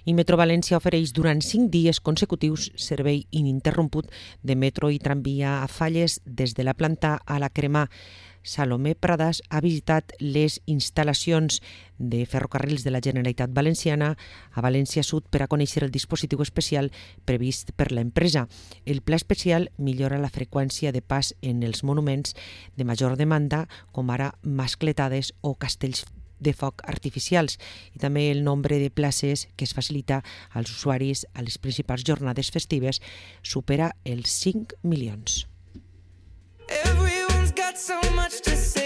I Metro València ofereix durant 5 dies consecutius servei ininterromput de metro i tramvia a Falles des de la planta a la Cremà. Salomé Pradas ha visitat les instal·lacions de ferrocarrils de la Generalitat Valenciana a València Sud per a conèixer el dispositiu especial previst per l'empresa. El pla especial millora la freqüència de pas en els monuments de major demanda, com ara mascletades o castells de foc artificials, i també el nombre de places que es facilita als usuaris a les principals jornades festives supera els 5 milions. Everyone's got so much to say.